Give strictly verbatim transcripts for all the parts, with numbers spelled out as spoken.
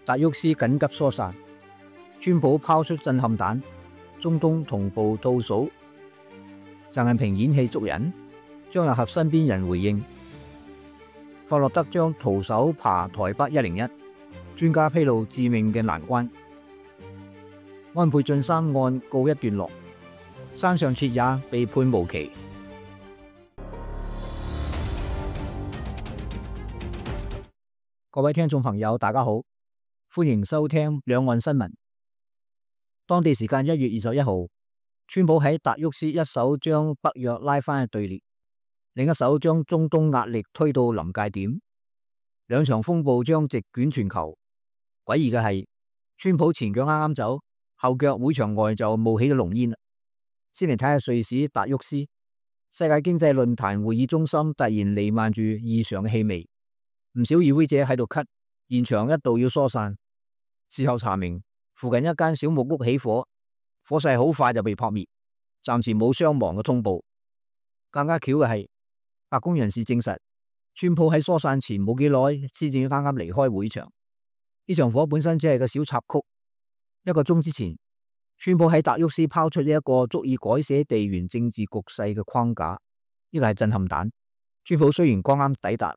達沃斯緊急疏散，川普拋出震撼彈，中東同步倒數。習近平演戲捉人，張又俠身邊人回應。霍洛德將徒手爬台北一零一，專家披露致命嘅難關。安倍晉三案告一段落，山上徹也被判無期。各位聽眾朋友，大家好，歡迎收聽兩岸新聞。當地時間一月二十一號，川普喺達沃斯一手將北約拉翻去對列，另一手將中東壓力推到臨界點，兩場風暴將席捲全球。詭異嘅係，川普前腳啱啱走，後腳會場外就冒起咗濃煙。先嚟睇下瑞士達沃斯世界經濟論壇會議中心突然彌漫住異常嘅氣味。唔少與會者喺度咳，現場一度要疏散。事後查明，附近一間小木屋起火，火勢好快就被撲滅，暫時冇傷亡嘅通報。更加巧嘅係，白宮人士證實，川普喺疏散前冇幾耐先至啱啱離開會場。呢場火本身只係個小插曲。一個鐘之前，川普喺達沃斯拋出呢一個足以改寫地緣政治局勢嘅框架，呢個係震撼彈。川普雖然剛啱抵達，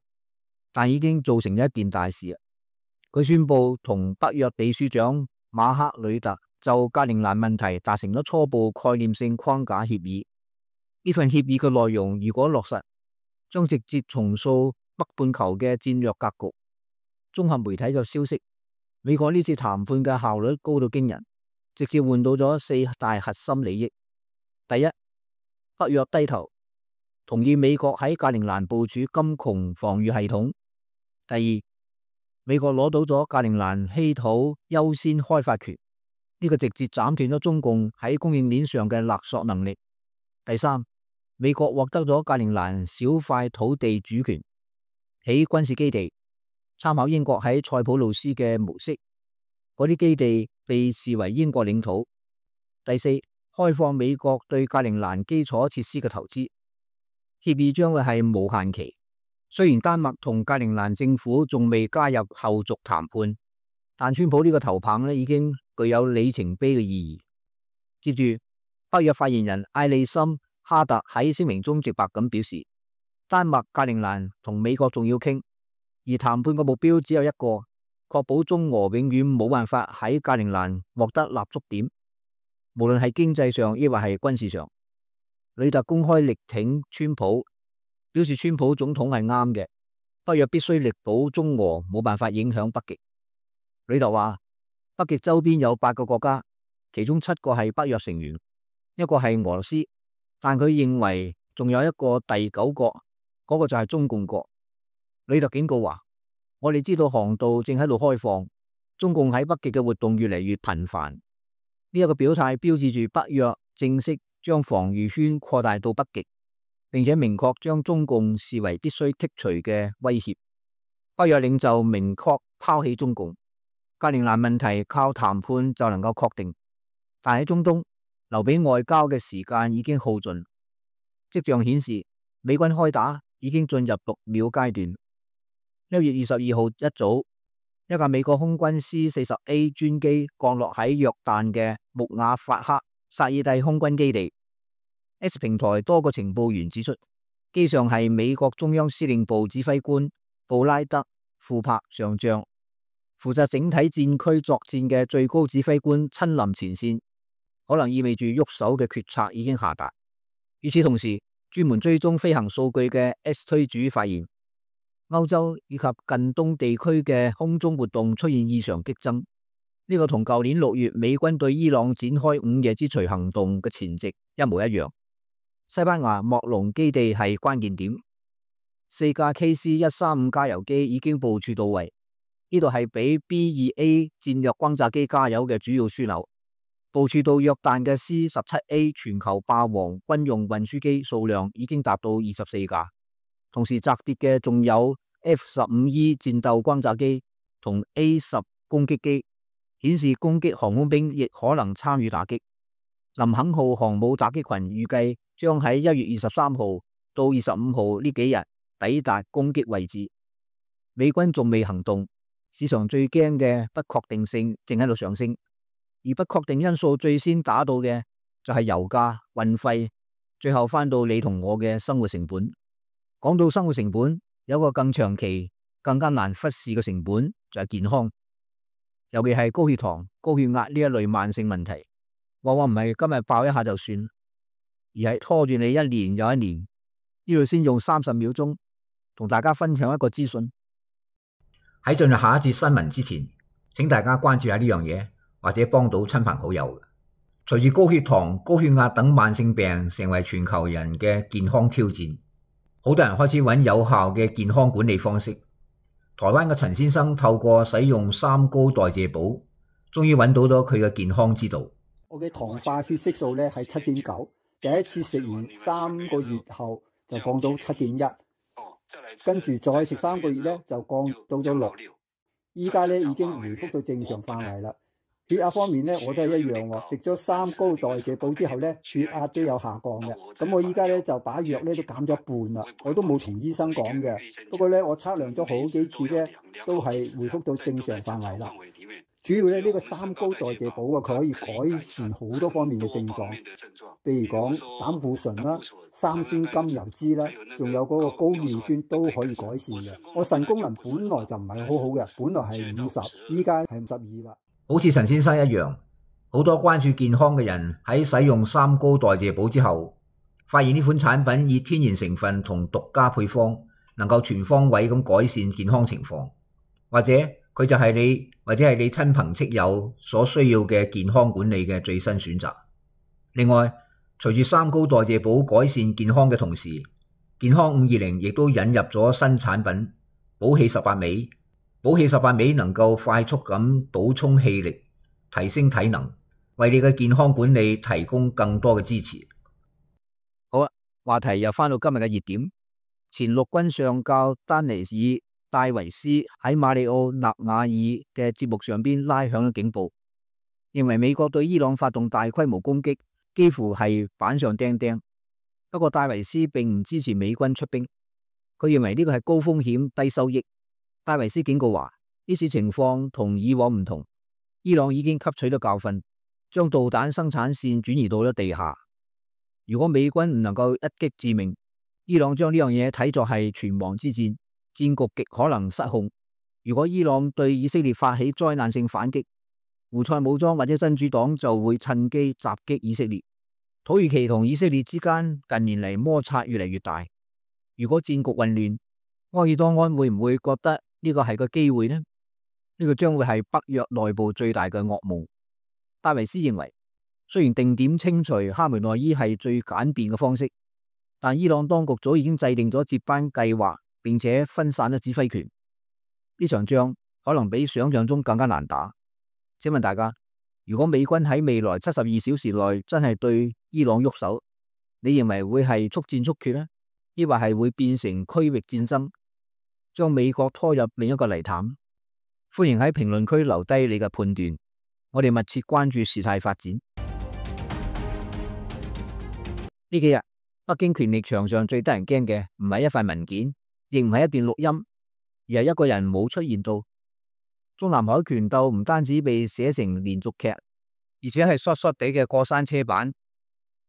但已經造成咗一件大事。佢宣布同北約秘書長馬克呂特就格陵蘭問題達成咗初步概念性框架協議。呢份協議嘅內容如果落實，將直接重塑北半球嘅戰略格局。綜合媒體嘅消息，美國呢次談判嘅效率高到驚人，直接換到咗四大核心利益。第一，北約低頭，同意美國喺格陵蘭部署金窮防禦系統。第二，美國攞到咗格陵蘭稀土優先開發權，呢個直接斬斷咗中共喺供應鏈上嘅勒索能力。第三，美國獲得咗格陵蘭小塊土地主權，起軍事基地，參考英國喺塞浦路斯嘅模式，嗰啲基地被視為英國領土。第四，開放美國對格陵蘭基礎設施嘅投資，協議將會係無限期。雖然丹麥同格陵蘭政府仲未加入後續談判，但川普呢個頭棒咧已經具有里程碑嘅意義。接住，北約發言人艾利森哈特喺聲明中直白咁表示，丹麥、格陵蘭同美國仲要傾，而談判嘅目標只有一個，確保中俄永遠冇辦法喺格陵蘭獲得立足點，無論係經濟上抑或係軍事上。呂特公開力挺川普，表示川普總統係啱嘅，北約必須力保中俄冇辦法影響北極。呂特話，北極周邊有八個國家，其中七個係北約成員，一個係俄羅斯，但佢認為仲有一個第九個，嗰個就係中共國。呂特警告話，我哋知道航道正喺度開放，中共喺北極嘅活動越嚟越頻繁。呢一個表態標誌住北約正式將防禦圈擴大到北極，並且明確將中共視為必須剔除嘅威脅。北約領袖明確拋棄中共，格陵蘭問題靠談判就能夠確定，但喺中東留俾外交嘅時間已經耗盡。跡象顯示，美軍開打已經進入讀秒階段。一月二十二號一早，一架美國空軍 C 四十 A 專機降落喺約旦嘅穆瓦法克薩爾蒂空軍基地。X 平台多個情報員指出，機上係美國中央司令部指揮官布拉德庫珀上將，負責整體戰區作戰嘅最高指揮官親臨前線，可能意味住喐手嘅決策已經下達。與此同時，專門追蹤飛行數據嘅 S 推主發現，歐洲以及近東地區嘅空中活動出現異常激增，呢、這個同舊年六月美軍對伊朗展開午夜之鎚行動嘅前夕一模一樣。西班牙莫龍基地係關鍵點，四架 K C 一三五加油機已經部署到位，呢度係俾 B 二 A 戰略轟炸機加油嘅主要樞紐。部署到約旦嘅 C 十七 A 全球霸王軍用運輸機數量已經達到二十四架，同時砸跌嘅仲有 F 十五 E 戰鬥轟炸機同 A 十攻擊機，顯示攻擊航空兵亦可能參與打擊。林肯號航母打擊群預計將喺一月二十三號到二十五號呢幾日抵達攻擊位置。美軍仲未行動，市場最驚嘅不確定性正喺度上升，而不確定因素最先打到嘅就係油價、運費，最後翻到你同我嘅生活成本。講到生活成本，有個更長期、更加難忽視嘅成本就係健康，尤其係高血糖、高血壓呢一類慢性問題，往往唔係今日爆一下就算，而係拖住你一年又一年。呢度先用三十秒鐘同大家分享一個資訊。喺進入下一節新聞之前，請大家關注下呢樣嘢，或者幫到親朋好友。隨住高血糖、高血壓等慢性病成為全球人嘅健康挑戰，好多人開始揾有效嘅健康管理方式。台灣嘅陳先生透過使用三高代謝寶，終於揾到咗佢嘅健康之道。我嘅糖化血色素咧係七點九，第一次食完三個月後就降到七點一，跟住再食三個月咧就降到咗六，依家咧已經回復到正常範圍啦。血壓方面咧我都係一樣喎，食咗三高代謝寶之後咧血壓都有下降嘅。咁我依家咧就把藥咧都減咗一半啦，我都冇同醫生講嘅。不過咧我測量咗好幾次咧都係回復到正常範圍啦。主要咧呢個三高代謝寶啊，佢可以改善好多方面嘅症狀，譬如講膽固醇啦、三酸甘油酯啦，仲有嗰個高尿酸都可以改善嘅。我腎功能本來就唔係好好嘅，本來係五十，依家係五十二啦。好似陳先生一樣，好多關注健康嘅人喺使用三高代謝寶之後，發現呢款產品以天然成分同獨家配方，能夠全方位咁改善健康情況，或者佢就係你或者係你親朋戚友所需要嘅健康管理嘅最新選擇。另外，隨住三高代謝寶改善健康嘅同時，健康五二零亦都引入咗新產品寶氣十八味。寶氣十八味能夠快速咁補充氣力，提升體能，為你嘅健康管理提供更多嘅支持。好啦，話題又翻到今日嘅熱點，前陸軍上校丹尼爾戴維斯喺馬里奧納瓦爾嘅節目上邊拉響咗警報，認為美國對伊朗發動大規模攻擊幾乎係板上釘釘。不過戴維斯並唔支持美軍出兵，佢認為呢個係高風險低收益。戴維斯警告話，呢次情況同以往唔同，伊朗已經吸取咗教訓，將導彈生產線轉移到咗地下。如果美軍唔能夠一擊致命，伊朗將呢樣嘢睇作係存亡之戰，戰局極可能失控。如果伊朗對以色列發起災難性反擊，胡塞武裝或者真主黨就會趁機襲擊以色列。土耳其同以色列之間近年嚟摩擦越嚟越大，如果戰局混亂，埃爾多安會唔會覺得呢個係個機會呢？呢個將會係北約內部最大嘅噩夢。戴維斯認為，雖然定點清除哈梅內伊係最簡便嘅方式，但伊朗當局早已經制定咗接班計劃，並且分散咗指揮權。呢場仗可能比想象中更加難打。請問大家，如果美軍喺未來七十二小時內真係對伊朗喐手，你認為會係速戰速決呢？抑或係會變成區域戰爭，將美國拖入另一個泥潭？歡迎喺評論區留低你嘅判斷，我哋密切關注事態發展。呢幾日北京權力場上最得人驚嘅唔係一塊文件，亦唔係一段錄音，而係一個人冇出現到。中南海權鬥唔單止被寫成連續劇，而且係 short short 地嘅過山車版，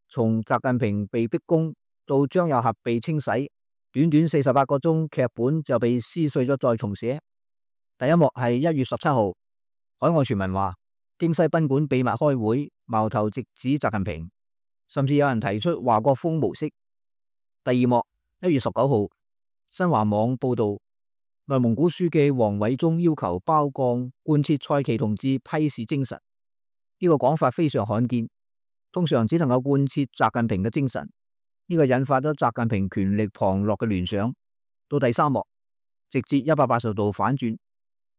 從習近平被逼宮到張又俠被清洗，短短四十八個鐘劇本就被撕碎咗再重寫。第一幕係一月十七號，海外傳聞話京西賓館秘密開會，矛頭直指習近平，甚至有人提出華國鋒模式。第二幕一月十九號，新華網報道內蒙古書記王偉忠要求包鋼貫徹蔡奇同志批示精神，呢個講法非常罕見，通常只能夠貫徹習近平嘅精神。呢個引發咗習近平權力旁落嘅聯想。到第三幕，直接一百八十度反轉。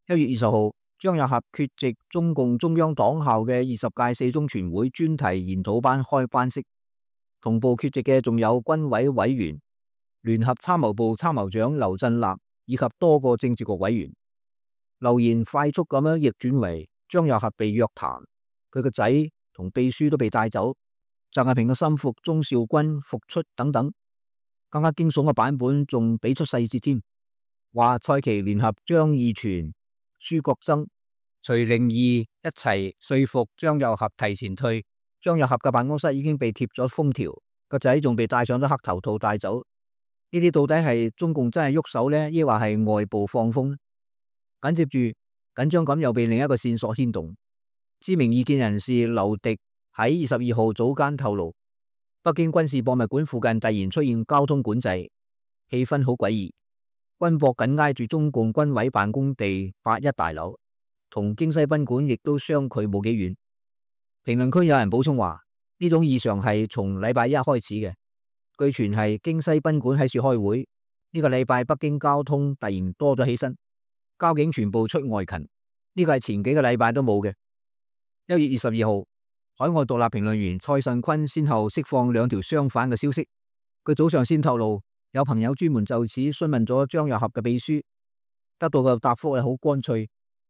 一月二十號，張又俠缺席中共中央黨校嘅二十屆四中全會專題研討班開班式，同步缺席嘅仲有軍委委員、聯合參謀部參謀長劉振立以及多個政治局委員。留言快速咁樣逆轉為張又俠被約談，佢個仔同秘書都被帶走。習近平嘅心腹鍾兆軍復出等等，更加驚悚嘅版本仲俾出細節添，話蔡奇聯合張義全、朱國曾、徐靈義一齊說服張又俠提前退。張又俠嘅辦公室已經被貼咗封條，個仔仲被戴上咗黑頭套帶走。呢啲到底係中共真係喐手呢，抑或係外部放風呢？緊接住緊張感又被另一個線索牽動。知名異見人士劉迪喺二十二號早間透露，北京軍事博物館附近突然出現交通管制，氣氛好詭異。軍博緊挨住中共軍委辦公地八一大樓，同京西賓館亦都相距冇幾遠。評論區有人補充話，呢種異常係從禮拜一開始嘅。據傳係京西賓館喺處開會，呢個禮拜北京交通突然多咗起身，交警全部出外勤，呢個係前幾個禮拜都冇嘅。一月二十二號，海外獨立評論員蔡慎坤先後釋放兩條相反嘅消息。佢早上先透露，有朋友專門就此詢問咗張又俠嘅秘書，得到嘅答覆係好乾脆，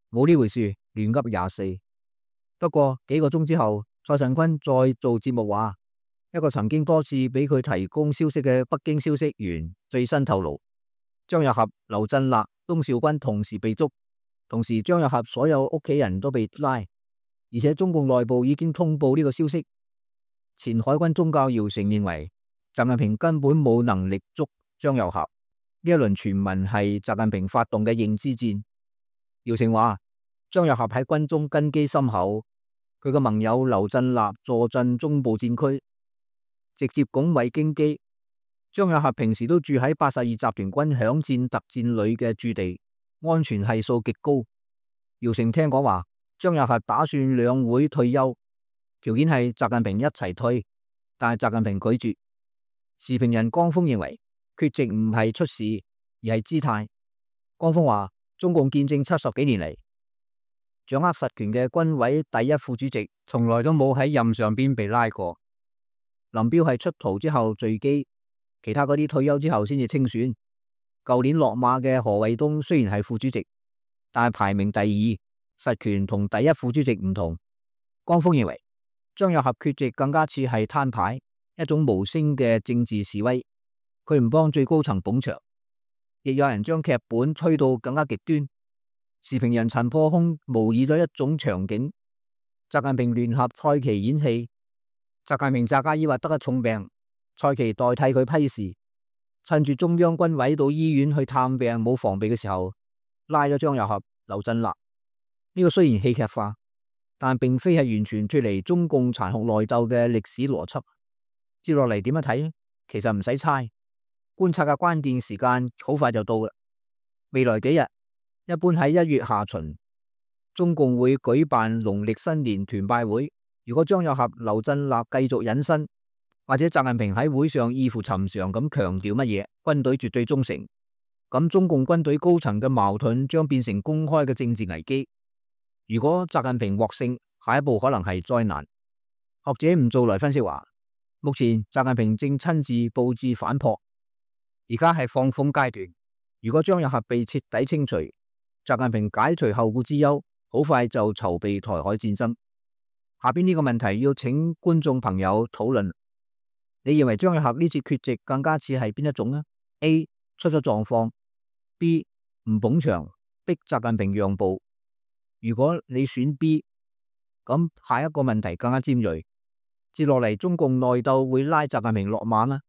冇呢回事，亂噏廿四。不過幾個鐘之後，蔡慎坤再做節目話，一個曾經多次俾佢提供消息嘅北京消息源最新透露，張又俠、劉振立、東紹軍同時被捉，同時張又俠所有屋企人都被拉，而且中共內部已經通報呢個消息。前海軍中校姚成認為，習近平根本冇能力捉張又俠，呢一輪傳聞係習近平發動嘅認知戰。姚成話，張又俠喺軍中根基深厚，佢嘅盟友劉振立坐鎮中部戰區，直接拱衛京畿。張又俠平時都住喺八十二集團軍響戰特戰旅嘅駐地，安全係數極高。姚成聽講話，張又俠打算兩會退休，條件係習近平一齊退，但係習近平拒絕。時評人江峰認為，缺席唔係出事，而係姿態。江峰話，中共建政七十幾年嚟，掌握實權嘅軍委第一副主席從來都冇喺任上邊被拉過。林彪係出逃之後墜機，其他嗰啲退休之後先至清選。舊年落馬嘅何衛東雖然係副主席，但係排名第二，實權同第一副主席唔同。江峰認為，張又俠缺席更加似係攤牌，一種無聲嘅政治示威。佢唔幫最高層捧場，亦有人將劇本吹到更加極端。時評人陳破空模擬咗一種場景：習近平聯合蔡奇演戲，習近平扎加爾話得咗重病，蔡奇代替佢批示，趁住中央軍委到醫院去探病冇防備嘅時候，拉咗張又俠、劉振立。呢個雖然戲劇化，但並非係完全脫離中共殘酷內鬥嘅歷史邏輯。接落嚟點樣睇？其實唔使猜，觀察嘅關鍵時間好快就到啦。未來幾日，一般喺一月下旬，中共會舉辦農曆新年團拜會。如果張又俠、劉振立繼續隱身，或者習近平喺會上異乎尋常咁強調乜嘢軍隊絕對忠誠，咁中共軍隊高層嘅矛盾將變成公開嘅政治危機。如果習近平獲勝，下一步可能係災難。學者吳做來分析話，目前習近平正親自布置反撲，而家係放風階段。如果張又俠被徹底清除，習近平解除後顧之憂，好快就籌備台海戰爭。下邊呢個問題要請觀眾朋友討論，你認為張又俠呢次缺席更加似係邊一種呢？ A 出咗狀況， B 唔捧場逼習近平讓步。如果你選 B， 咁下一個問題更加尖銳，接落嚟中共內鬥會拉習近平落馬嗎？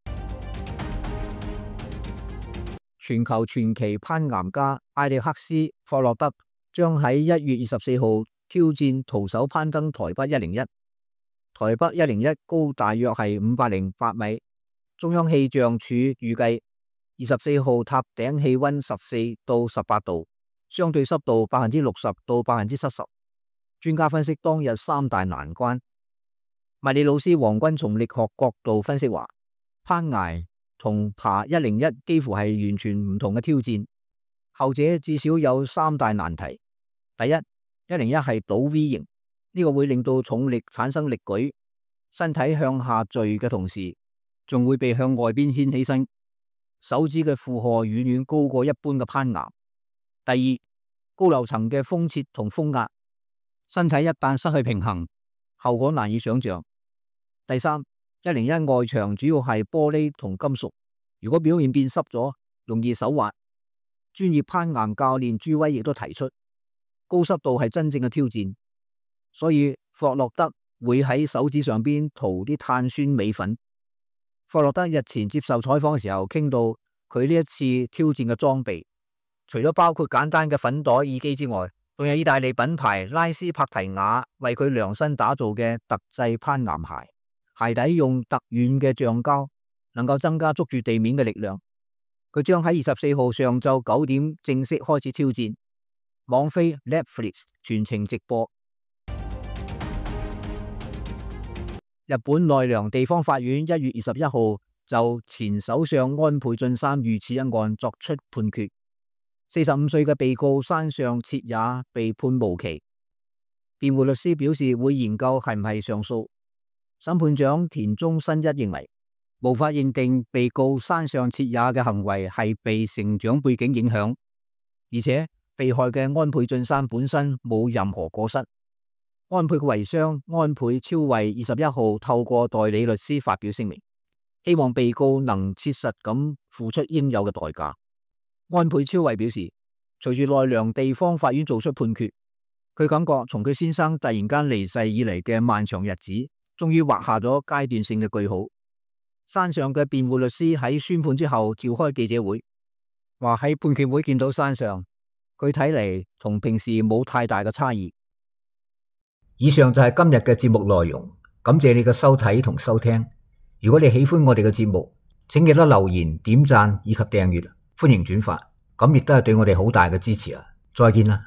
全球傳奇攀岩家艾力克斯霍洛德將喺一月二十四號挑戰徒手攀登台北一零一。台北一零一高大約係五百零八米，中央氣象署預計二十四號塔頂氣溫十四到十八度，相對濕度百分之六十到百分之七十。專家分析當日三大難關。物理老師黃軍從力學角度分析話，攀崖同爬一零一幾乎係完全唔同嘅挑戰，後者至少有三大難題。第一，一零一係倒 V 型，呢個會令到重力產生力舉，身體向下墜嘅同時，仲會被向外邊牽起身，手指嘅負荷遠遠高過一般嘅攀岩。第二，高樓層嘅風切同風壓，身體一旦失去平衡，後果難以想象。第三，一零一外牆主要係玻璃同金屬，如果表面變濕咗，容易手滑。專業攀岩教練朱威亦都提出，高濕度係真正嘅挑戰，所以霍洛德會喺手指上邊塗啲碳酸鎂粉。霍洛德日前接受採訪嘅時候，傾到佢呢一次挑戰嘅裝備，除咗包括簡單嘅粉袋耳機之外，仲有意大利品牌拉斯帕提亞為佢量身打造嘅特製攀岩鞋，鞋底用特軟嘅橡膠，能夠增加捉住地面嘅力量。佢將喺二十四號上晝九點正式開始挑戰，網飛 Netflix 全程直播。日本奈良地方法院一月二十一號就前首相安倍晉三遇刺一案作出判決，四十五歲嘅被告山上徹也被判無期。辯護律師表示會研究係唔係上訴。審判長田中伸一認為，無法認定被告山上徹也嘅行為係被成長背景影響，而且被害嘅安倍晉三本身冇任何過失。安倍嘅遺孀安倍昭惠二十一號透過代理律師發表聲明，希望被告能切實咁付出應有嘅代價。安倍昭惠表示，隨住奈良地方法院做出判決，佢感覺從佢先生突然間離世以嚟嘅漫長日子，終於畫下咗階段性嘅句號。山上嘅辯護律師喺宣判之後召開記者會，話喺判決會見到山上，佢睇嚟同平時冇太大嘅差異。以上就係今日嘅節目內容，感謝你嘅收睇同收聽。如果你喜歡我哋嘅節目，請記得留言、點讚以及訂閱，歡迎轉發，咁亦都係對我哋好大嘅支持啊！再見啦。